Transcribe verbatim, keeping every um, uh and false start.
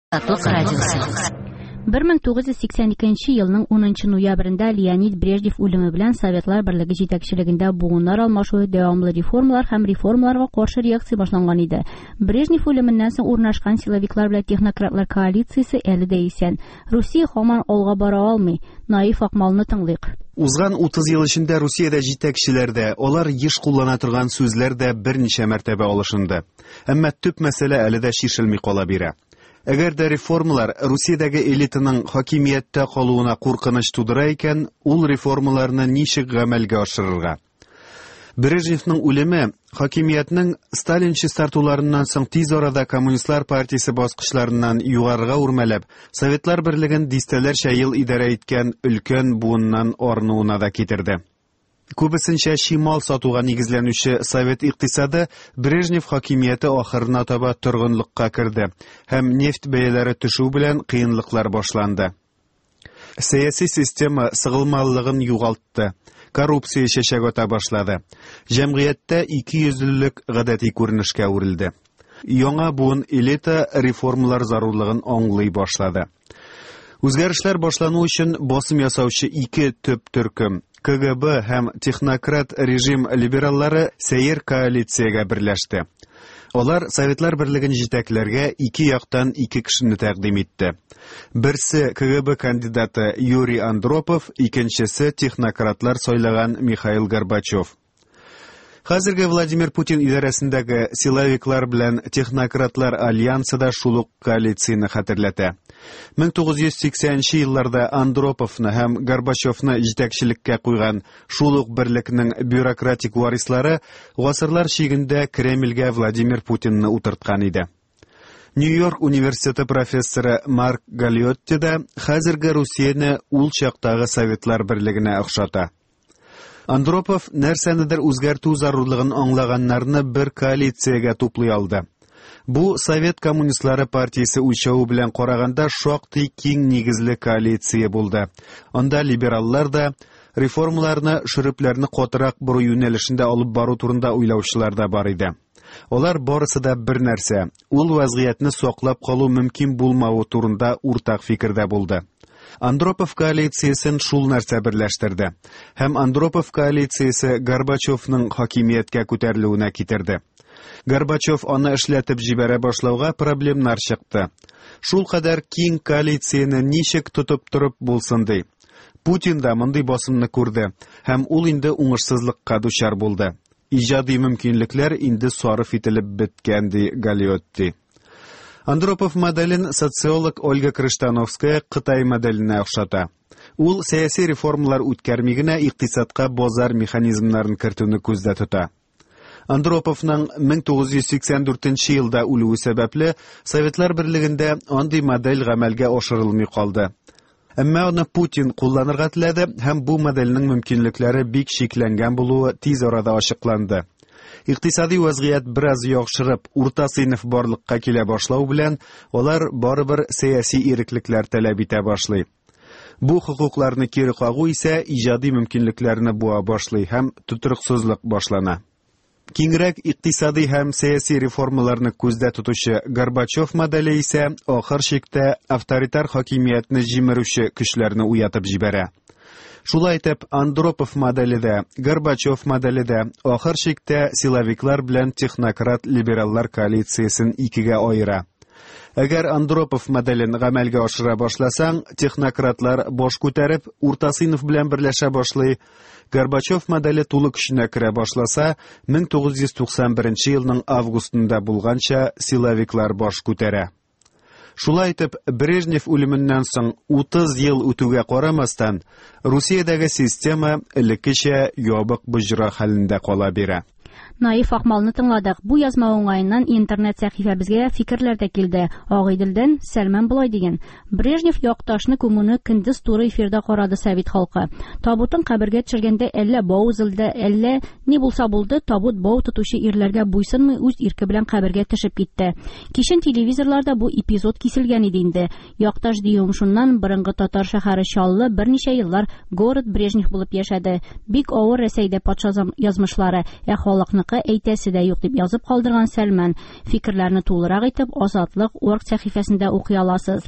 Азатлык радиосы. бер мең тугыз йөз сиксән икенче елның унынчы ноябрендә Леонид Брежнев үлеме белән Советлар Берлеге җитәкчелегендә буыннар алмашуы, дәвамлы реформалар һәм реформаларга каршы реакция башланган иде. Брежнев үлеменнән соң урнашкан силовиклар белән технократлар коалициясе әле дә исән. Русия һаман алга бара алмый. Наиф Акмалны тыңлыйк. Узган утыз ел эчендә Русиядә җитәкчеләр дә, алар еш куллана торган сүзләр дә берничә мәртәбә алышынды. Әмма төп мәсьәлә әле дә чишелми кала бирә. Әгәр дә реформалар Русиядәге элитаның хакимияттә калуына куркыныч тудыра икән, ул реформаларны ничек гамәлгә ашырырга? Брежневның үлеме хакимиятнең Сталин чистартуларыннан соң тиз арада Коммунистлар партиясе баскычларыннан югарыга үрмәләп, Советлар Берлеген дистәләрчә ел идарә иткән өлкән буыннан арынуына да китерде. Күбесенчә чимал сатуга нигезләнүче совет икътисады Брежнев хакимияте ахырына таба торгынлыкка керде һәм нефть бәяләре төшү белән кыенлыклар башланды. Сәяси система сыгылмалылыгын югалтты, коррупция чәчәк ата башлады. Җәмгыятьтә ике йөзлелек гадәти күренешкә әверелде. Яңа буын элита реформалар зарурлыгын аңлый башлады. Үзгәрешләр башлану өчен басым ясаучы ике төп төркем К Г Б һәм технократ режим либераллары сәер коалициягә берләште. Алар Советлар Берлеген җитәкләргә ике яктан ике кешене тәкъдим итте. Берсе К Г Б кандидаты Юрий Андропов, икенчесе технократлар сайлаган Михаил Горбачев. Хәзерге Владимир Путин идарәсендәге силовиклар белән технократлар альянсы да шул ук коалицияне хәтерләтә. Мең тугыз йөз сиксәненче елларда Андроповны һәм Горбачевны җитәкчелеккә куйган шул ук берлекнең бюрократик варислары гасырлар чигендә Кремльгә Владимир Путинны утырткан иде. Нью-Йорк университеты профессоры Марк Галиотти да хәзерге Русияне ул чактагы Советлар Берлегенә охшата. Андропов нәрсәнедер үзгәртү зарурлыгын аңлаганнарны бер коалициягә туплый алды. Бу Совет коммунистлары партиясе үлчәве белән караганда шактый киң нигезле коалиция булды. Анда либераллар да, реформаларны шөрепләрне катырак бору юнәлешендә алып бару турында уйлаучылар да бар иде. Алар барысы да бер нәрсә, ул вазгыятьне саклап калу мөмкин булмавы турында уртак фикердә булды. Андропов коалициясен шул нәрсә берләштерде. Һәм Андропов коалициясе Горбачевның хакимияткә күтәрелүенә китерде. Горбачев аны эшләтеп җибәрә башлауга проблемнар чыкты. Шул кадәр киң коалицияне ничек тотып торып булсын ди. Путин да мондый басымны күрде һәм ул инде уңышсызлыкка дучар булды. Иҗади мөмкинлекләр инде сарыф ителеп беткән ди Галиотти. Андропов моделен социолог Ольга Крыштановская Кытай моделенә охшата. Ул сәяси реформалар үткәрми генә икътисадка базар механизмнарын кертүне күздә тота. Андроповның мең тугыз йөз сиксән дүртенче елда үлүе сәбәпле Советлар Берлегендә андый модель гамәлгә ашырылмый калды. Әмма аны Путин кулланырга теләде һәм бу модельнең мөмкинлекләре бик чикләнгән булуы тиз арада ачыкланды. Икътисади вазгыять бераз яхшырып, урта сыйныф барлыкка килә башлау белән алар барыбер сәяси иреклекләр таләп итә башлый. Бу хокукларны кире кагу исә иҗади мөмкинлекләрне буа башлый һәм тотрыксызлык башлана. Киңрәк икътисади һәм сәяси реформаларны күздә тотучы Горбачев моделе исә ахыр чиктә авторитар хакимиятне җимерүче көчләрне уятып җибәрә. Шулай итеп, Андропов моделе дә, Горбачев моделе дә ахыр чиктә силовиклар белән технократ либераллар коалициясен икегә аера. Әгәр Андропов моделен гамәлгә ашыра башласаң, технократлар баш күтәреп, урта сыйныф белән берләшә башлый. Горбачев моделе тулы көченә керә башласа, мең тугыз йөз туксан беренче елның августында булганча силовиклар баш күтәрә. Шулай итеп, Брежнев үлеменнән соң утыз ел үтүгә карамастан, Русиядәге система элеккечә ябык боҗра хәлендә кала бирә. Наиф Акмалны тыңладык. Бу язма уңаеннан интернет сәхифәбезгә фикерләр дә килде. Агыйделдән Сәлмән болай дигән: Брежнев якташны күмүне көндез туры эфирда карады совет халкы. Табутын кабергә төшергәндә әллә бау өзелде, әллә ни булса булды, табут бау тотучы ирләргә буйсынмый үз ирке белән кабергә төшеп китте. Кичен телевизорларда бу эпизод киселгән иде инде. Якташ диюем шуннан борынгы татар шәһәре Чаллы берничә еллар город Брежнев булып яшәде. Бик авыр Рәсәйдә патша зам-, язмышлары, ә халыкны Казанныкы әйтәсе дә юк, дип язып калдырган Сәлмән. Фикерләрне тулырак итеп Азатлык орг сәхифәсендә укый аласыз.